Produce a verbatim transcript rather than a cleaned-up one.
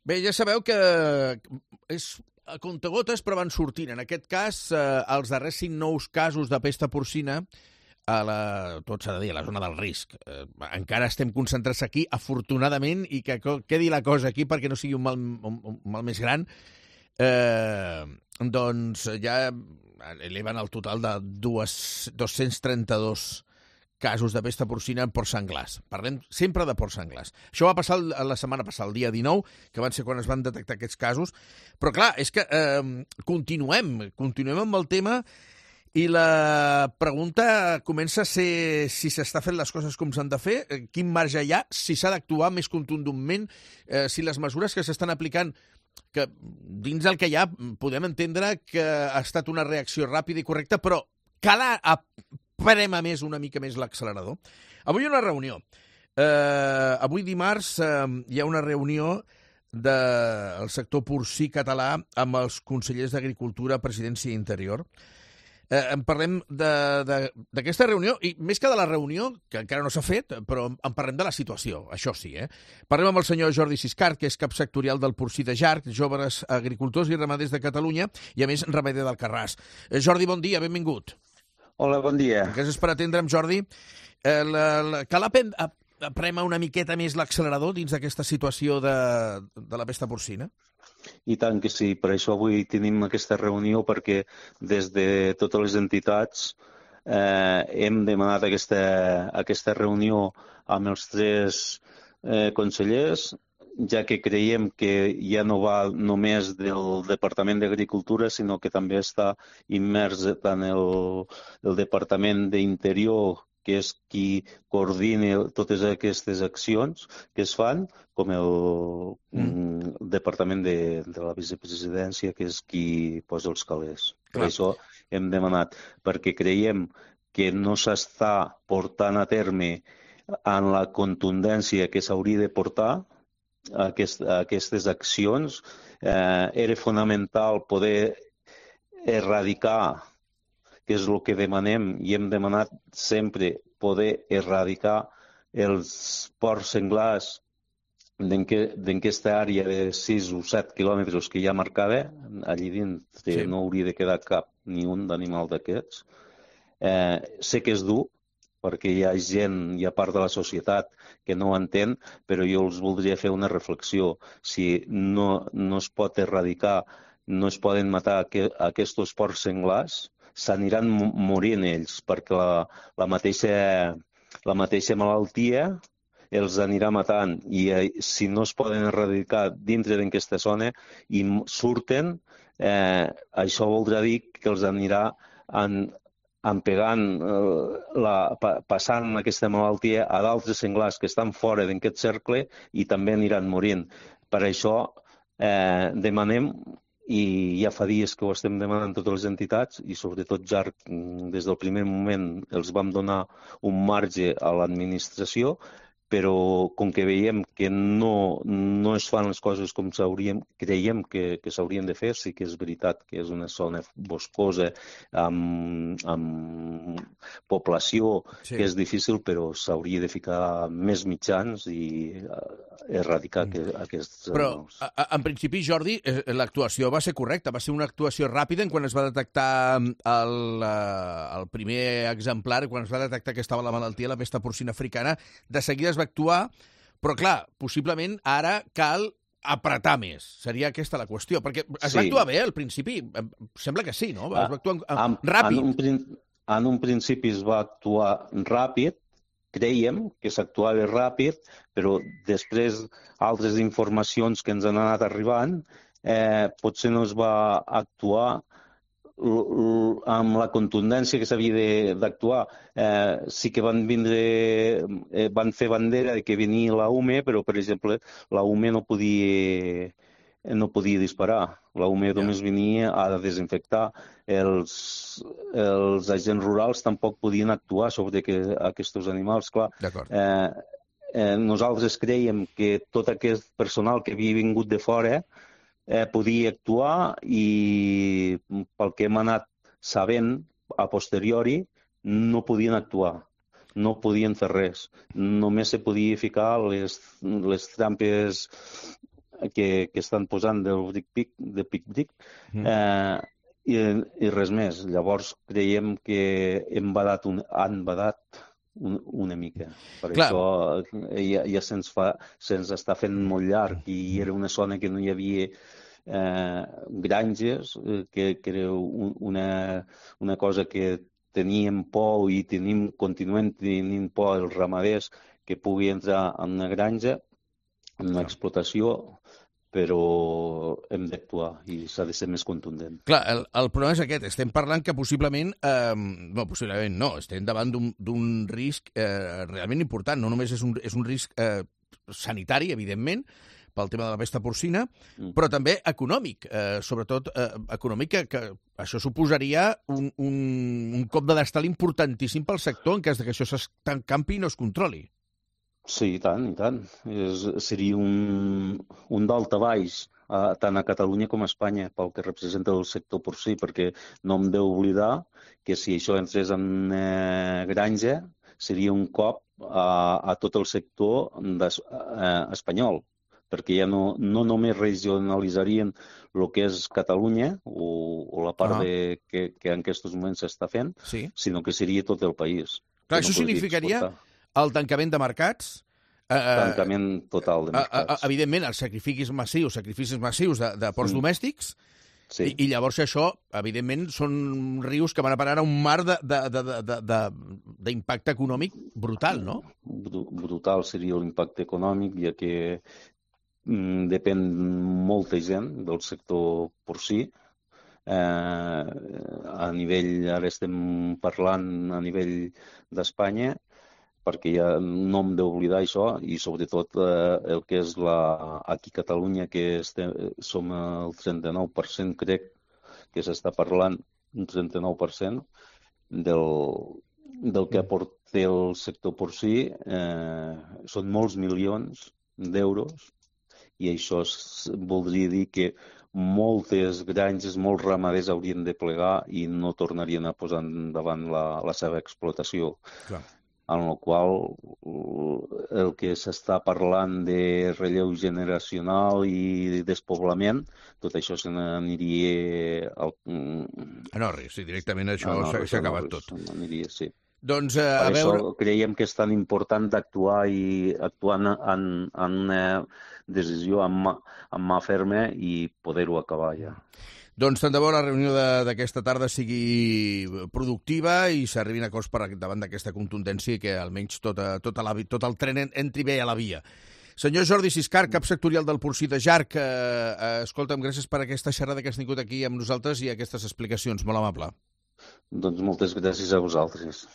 Bé, ja sabeu que és a comptagotes, però van sortint. En aquest cas, eh, els darrers cinc nous casos de pesta porcina a la, tot s'ha de dir, a la zona del risc. Eh, encara estem concentrats aquí, afortunadament, i que quedi la cosa aquí perquè no sigui un mal, un, un mal més gran. Eh, doncs ja eleven el total de dos-cents trenta-dos casos de pesta porcina en porcs senglars. Parlem sempre de porcs senglars. Això va passar la setmana passada, el dia dinou, que van ser quan es van detectar aquests casos. Però clar, és que eh, continuem, continuem amb el tema. I la pregunta comença a ser si s'està fent les coses com s'han de fer, quin marge hi ha, si s'ha d'actuar més contundentment, eh, si les mesures que s'estan aplicant, que dins del que hi ha podem entendre que ha estat una reacció ràpida i correcta, però cal prema més una mica més l'accelerador. Avui hi ha una reunió. Eh, avui dimarts eh, hi ha una reunió del sector porcí català amb els consellers d'Agricultura, Presidència i Interior. Eh, en parlem d'aquesta reunió, i més que de la reunió, que encara no s'ha fet, però en parlem de la situació, això sí. Eh? Parlem amb el senyor Jordi Siscart, que és cap sectorial del porcí de Jarc, Joves Agricultors i Ramaders de Catalunya, i a més ramader d'Alcarràs. Eh, Jordi, bon dia, benvingut. Hola, bon dia. Gràcies per atendre'm, Jordi. Eh, la, la, cal aprema una miqueta més l'accelerador dins d'aquesta situació de, de la pesta porcina? I tant que sí, per això avui tenim aquesta reunió, perquè des de totes les entitats eh, hem demanat aquesta, aquesta reunió amb els tres eh, consellers, ja que creiem que ja no va només del Departament d'Agricultura, sinó que també està immers tant el, el Departament d'Interior, que és qui coordina totes aquestes accions que es fan, com el mm. Departament de, de la Vicepresidència, que és qui posa els calés. Clar. Per això hem demanat, perquè creiem que no s'està portant a terme en la contundència que s'hauria de portar aquest, aquestes accions. Eh, era fonamental poder erradicar, que és el que demanem, i hem demanat sempre poder erradicar els porcs senglars d'aquesta àrea de sis o set quilòmetres que ja marcava, allí dins sí. No hauria de quedar cap ni un d'animal d'aquests. Eh, sé que és dur, perquè hi ha gent, hi ha part de la societat que no ho entén, però jo els voldria fer una reflexió. Si no, no es pot erradicar, no es poden matar aquests porcs senglars, s'aniran morint ells, perquè la, la, mateixa, la mateixa malaltia els anirà matant. I eh, si no es poden erradicar dintre d'aquesta zona i surten, eh, això voldrà dir que els anirà en, empegant, eh, la, pa, passant aquesta malaltia a d'altres senglars que estan fora d'aquest cercle i també aniran morint. Per això eh, demanem, i ja fa dies que ho estem demanant totes les entitats, i sobretot Jarc, des del primer moment els vam donar un marge a l'administració, però com que veiem que no, no es fan les coses com s'haurien, creiem que, que s'haurien de fer, sí que és veritat que és una zona boscosa amb, amb població sí. Que és difícil, però s'hauria de ficar més mitjans i erradicar mm. aquests... Però, en principi, Jordi, l'actuació va ser correcta, va ser una actuació ràpida en quan es va detectar el, el primer exemplar, quan es va detectar que estava la malaltia, la pesta porcina africana, de seguida va actuar, però clar, possiblement ara cal apretar més. Seria aquesta la qüestió, perquè es sí. va actuar bé al principi, sembla que sí, no? Es va actuar en, ràpid. En un, en un principi es va actuar ràpid, creiem que s'actuava ràpid, però després altres informacions que ens han anat arribant, eh, potser no es va actuar amb la contundència que s'havia d'actuar. Eh, sí que van vindre, eh, van fer bandera de que venia la U M E, però, per exemple, la U M E no podia, no podia disparar. La U M E ja. Només venia a desinfectar. Els, els agents rurals tampoc podien actuar sobre que, aquests animals. Clar, eh, eh, nosaltres creiem que tot aquest personal que havia vingut de fora Eh, podia actuar i pel que hem anat sabent a posteriori no podien actuar, no podien fer res. Només se podia ficar les, les trampes que, que estan posant del bric-pic, de pic-bric, Mm. eh, i, i res més. Llavors creiem que hem badat un, han badat un, una mica. Per Clar. això ja, ja se'ns fa, se'ns està fent molt llarg i era una zona que no hi havia eh, granges, eh, que, que era un, una, una cosa que teníem por i tenim, continuem tenint por els ramaders que pugui entrar en una granja, en una explotació, però hem d'actuar i s'ha de ser més contundent. Clar, el, el problema és aquest. Estem parlant que possiblement, eh, no, possiblement no, estem davant d'un risc eh, realment important. No només és un, és un risc eh, sanitari, evidentment, pel tema de la pesta porcina, mm. però també econòmic, eh, sobretot eh, econòmic, que, que això suposaria un, un, un cop de destal importantíssim pel sector en cas que això s'encampi i no es controli. Sí, i tant, i tant. És, seria un, un daltabaix, eh, tant a Catalunya com a Espanya, pel que representa el sector porcí, perquè no hem d'oblidar que si això entrés en eh, granja, seria un cop a, a tot el sector des, eh, espanyol, perquè ja no, no només regionalitzarien el que és Catalunya o, o la part ah. de, que, que en aquests moments s'està fent, sí. sinó que seria tot el país. Clar, això no significaria exportar. El tancament de mercats? Eh, tancament total de mercats. Eh, evidentment, els sacrificis massius, sacrificis massius de, de ports mm. domèstics, sí. i, i llavors això, evidentment, són rius que van a parar a un mar d'impacte econòmic brutal, no? Brutal seria l'impacte econòmic, ja que depèn molta gent del sector porcí. Eh, a nivell, ara estem parlant a nivell d'Espanya, perquè ja no hem d'oblidar això, i sobretot eh, el que és la, aquí a Catalunya, que estem, som el trenta-nou per cent, crec que s'està parlant, un trenta-nou per cent del, del que aporta el sector porcí, eh, són molts milions d'euros, i això voldria dir que moltes granges, molts ramaders haurien de plegar i no tornarien a posar endavant la, la seva explotació. Clar. En el qual el que s'està parlant de relleu generacional i despoblament, tot això se n'aniria... Al... A Norris, sí, directament això s'ha acabat tot. Aniria, sí. Doncs, uh, a per veure... això creiem que és tan important d'actuar i actuar en, en una decisió amb mà, amb mà ferma i poder-ho acabar ja. Doncs tant de bo la reunió d'aquesta tarda sigui productiva i s'arribin a acords per davant d'aquesta contundència i que almenys tota, tota la, tot el tren entri bé a la via. Senyor Jordi Siscar, cap sectorial del porcí de Jarc, eh, eh, escolta'm, gràcies per aquesta xerrada que has tingut aquí amb nosaltres i aquestes explicacions. Molt amable. Doncs moltes gràcies a vosaltres.